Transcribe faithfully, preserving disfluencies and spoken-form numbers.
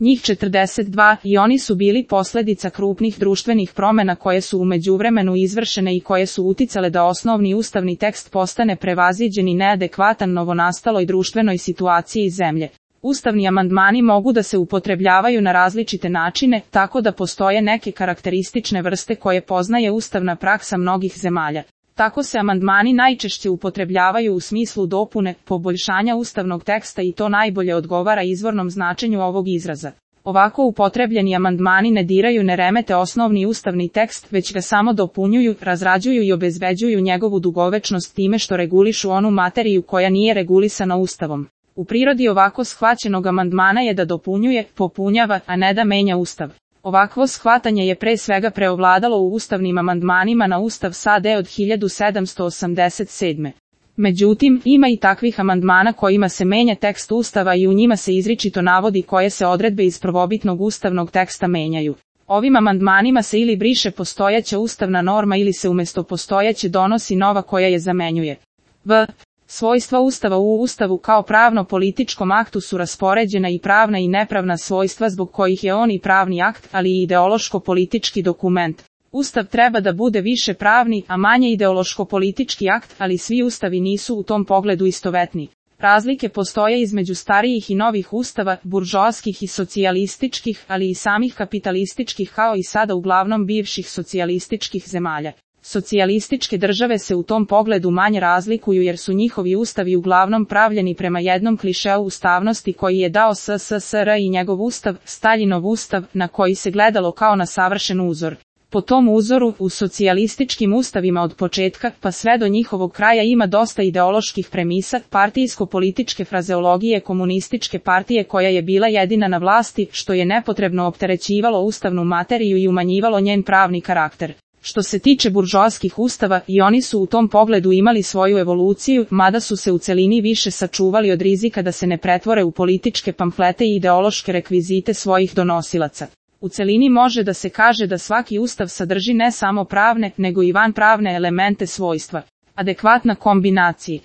njih četrdeset dva, i oni su bili posledica krupnih društvenih promena koje su u međuvremenu izvršene i koje su uticale da osnovni ustavni tekst postane prevaziđen i neadekvatan novonastaloj društvenoj situaciji zemlje. Ustavni amandmani mogu da se upotrebljavaju na različite načine, tako da postoje neke karakteristične vrste koje poznaje ustavna praksa mnogih zemalja. Tako se amandmani najčešće upotrebljavaju u smislu dopune, poboljšanja ustavnog teksta i to najbolje odgovara izvornom značenju ovog izraza. Ovako upotrebljeni amandmani ne diraju, ne remete osnovni ustavni tekst, već ga samo dopunjuju, razrađuju i obezbeđuju njegovu dugovečnost time što regulišu onu materiju koja nije regulisana Ustavom. U prirodi ovako shvaćenog amandmana je da dopunjuje, popunjava, a ne da menja Ustav. Ovakvo shvatanje je pre svega preovladalo u ustavnim amandmanima na Ustav S A D od hiljadu sedamsto osamdeset sedme. Međutim, ima i takvih amandmana kojima se menja tekst Ustava i u njima se izričito navodi koje se odredbe iz prvobitnog ustavnog teksta menjaju. Ovim amandmanima se ili briše postojeća ustavna norma ili se umjesto postojeće donosi nova koja je zamenjuje. V. Svojstva Ustava u Ustavu kao pravno-političkom aktu su raspoređena i pravna i nepravna svojstva zbog kojih je on i pravni akt, ali i ideološko-politički dokument. Ustav treba da bude više pravni, a manje ideološko-politički akt, ali svi ustavi nisu u tom pogledu istovetni. Razlike postoje između starijih i novih ustava, buržoaskih i socijalističkih, ali i samih kapitalističkih kao i sada uglavnom bivših socijalističkih zemalja. Socijalističke države se u tom pogledu manje razlikuju jer su njihovi ustavi uglavnom pravljeni prema jednom klišeu ustavnosti koji je dao S S S R i njegov ustav, Staljinov ustav, na koji se gledalo kao na savršen uzor. Po tom uzoru, u socijalističkim ustavima od početka pa sve do njihovog kraja ima dosta ideoloških premisa, partijsko-političke frazeologije komunističke partije koja je bila jedina na vlasti, što je nepotrebno opterećivalo ustavnu materiju i umanjivalo njen pravni karakter. Što se tiče buržoaskih ustava, i oni su u tom pogledu imali svoju evoluciju, mada su se u celini više sačuvali od rizika da se ne pretvore u političke pamflete i ideološke rekvizite svojih donosilaca. U celini može da se kaže da svaki ustav sadrži ne samo pravne, nego i vanpravne elemente svojstva. Adekvatna kombinacija.